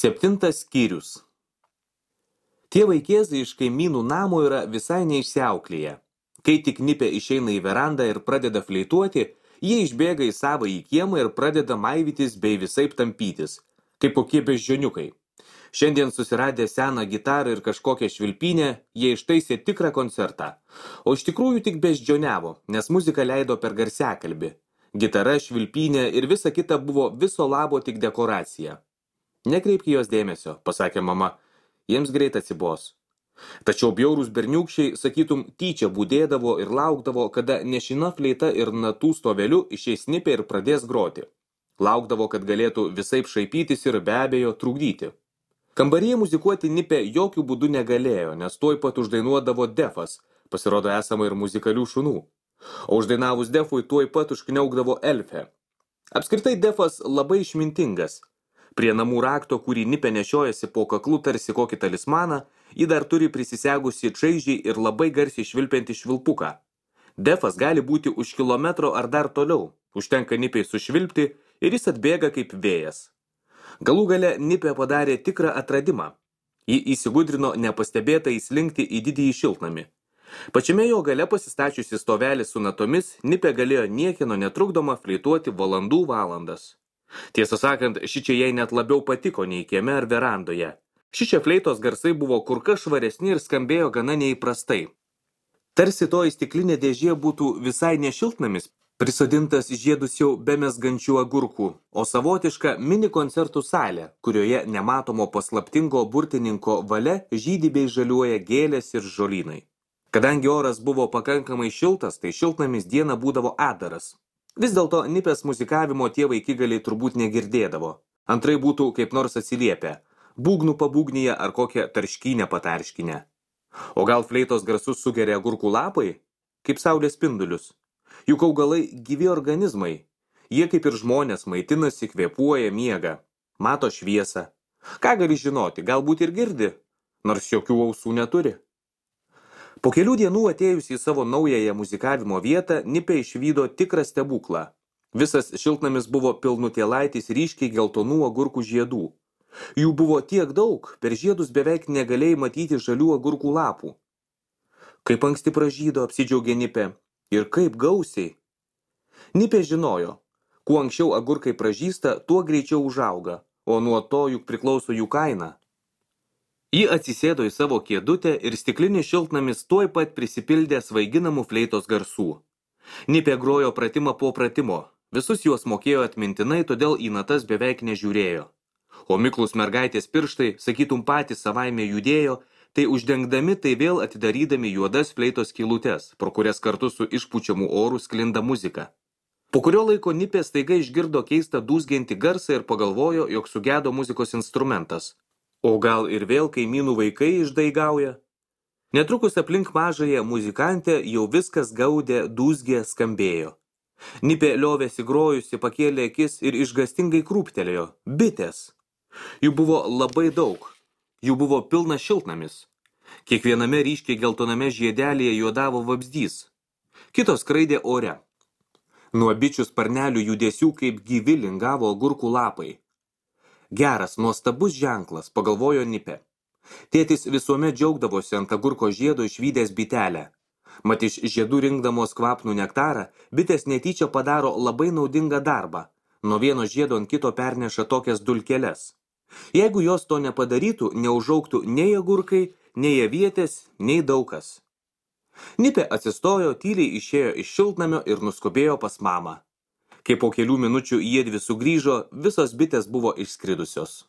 7 skyrius. Tie vaikėzai iš kaimynų namo yra visai neišsiauklėję. Kai tik Nipė išeina į verandą ir pradeda fleituoti, jie išbėga į savąjį kiemą ir pradeda maivytis bei visaip tampytis, kaip kokie beždžioniukai. Šiandien susiradę seną gitarą ir kažkokią švilpynę, jie ištaisė tikrą koncertą. O iš tikrųjų tik beždžioniavo, nes muziką leido per garsiakalbį. Gitara, švilpynė ir visa kita buvo viso labo tik dekoracija. Nekreipk jos dėmesio, pasakė mama, jiems greit atsibos. Tačiau bjaurūs berniukščiai, sakytum, tyčia būdėdavo ir laukdavo, kada nešina fleita ir natų stoveliu išeis Nipė ir pradės groti. Laukdavo, kad galėtų visaip šaipytis ir be abejo trukdyti. Kambaryje muzikuoti Nipė jokių būdų negalėjo, nes tuoj pat uždainuodavo Defas, pasirodo esama ir muzikalių šunų. O uždainavus Defui tuoj pat užkniaukdavo Elfė. Apskritai Defas labai išmintingas. Prie namų rakto, kurį Nipė nešiojasi po kaklu tarsi kokį talismaną, ji dar turi prisisegusi čaižiai ir labai garsiai švilpiantį švilpuką. Defas gali būti už kilometro ar dar toliau. Užtenka Nipei sušvilpti ir jis atbėga kaip vėjas. Galų gale Nipė padarė tikrą atradimą. Ji įsigudrino nepastebėtai įslinkti į didįjį šiltnamį. Pačiame jo gale pasistačiusi stovelį su natomis, Nipė galėjo niekieno netrukdoma fleituoti valandų valandas. Tiesą sakant, šičia jai net labiau patiko nei kieme ar verandoje. Šičia fleitos garsai buvo kur kas švaresni ir skambėjo gana neįprastai. Tarsi toji stiklinė dėžė būtų visai ne šiltnamis, prisodintas žiedus jau be mesgančių agurkų, o savotiška mini koncertų salė, kurioje nematomo paslaptingo burtininko valia žydi bei žaliuoja gėlės ir žolynai. Kadangi oras buvo pakankamai šiltas, tai šiltnamis dieną būdavo adaras. Vis dėlto Nipės muzikavimo tie vaikigaliai turbūt negirdėdavo. Antrai būtų kaip nors atsiliepę, būgnų pabūgnyje ar kokią tarškynę patarškinę. O gal fleitos garsus sugeria agurkų lapai, kaip saulės spindulius? Juk augalai gyvi organizmai. Jie kaip ir žmonės maitinasi, kvėpuoja, miega, mato šviesą. Ką gali žinoti, galbūt ir girdi, nors jokių ausų neturi. Po kelių dienų atėjus į savo naująją muzikavimo vietą, Nipė išvydo tikrą stebuklą. Visas šiltnamis buvo pilnutėlaitis ryškiai geltonų agurkų žiedų. Jų buvo tiek daug, per žiedus beveik negalėjai matyti žalių agurkų lapų. Kaip anksti pražydo, apsidžiaugė Nipė. Ir kaip gausiai. Nipė žinojo, kuo anksčiau agurkai pražysta, tuo greičiau užauga, o nuo to juk priklauso jų kaina. Ji atsisėdo į savo kėdutę ir stiklinis šiltnamis tuoj pat prisipildė svaiginamų fleitos garsų. Nipė grojo pratimą po pratimo, visus juos mokėjo atmintinai, todėl į natas beveik nežiūrėjo. O miklus mergaitės pirštai, sakytum patys savaime judėjo, tai uždengdami, tai vėl atidarydami juodas fleitos skylutes, pro kurias kartu su išpučiamu oru sklinda muzika. Po kurio laiko Nipė staiga išgirdo keistą dūzgiantį garsą ir pagalvojo, jog sugedo muzikos instrumentas. O gal ir vėl kaimynų vaikai išdaigauja? Netrukus aplink mažąją muzikantę jau viskas gaudė, dūzgė, skambėjo. Nipė liovėsi grojusi, pakėlė akis ir išgastingai krūptelėjo. Bitės! Jų buvo labai daug. Jų buvo pilnas šiltnamis. Kiekviename ryškiai geltoname žiedelėje juodavo vabzdys. Kitos skraidė ore. Nuo bičių sparnelių judesių kaip gyvi lingavo agurkų lapai. Geras, nuostabus ženklas, pagalvojo Nipė. Tėtis visuomet džiaugdavosi ant agurko žiedo išvydęs bitelę. Mat iš žiedų rinkdamos kvapnų nektarą, bitės netyčia padaro labai naudingą darbą. Nuo vieno žiedo ant kito perneša tokias dulkeles. Jeigu jos to nepadarytų, neužaugtų nei agurkai, nei avietės, nei daukas. Nipė atsistojo, tyliai išėjo iš šiltnamio ir nuskubėjo pas mamą. Kai po kelių minučių jiedvi sugrįžo, visos bitės buvo išskridusios.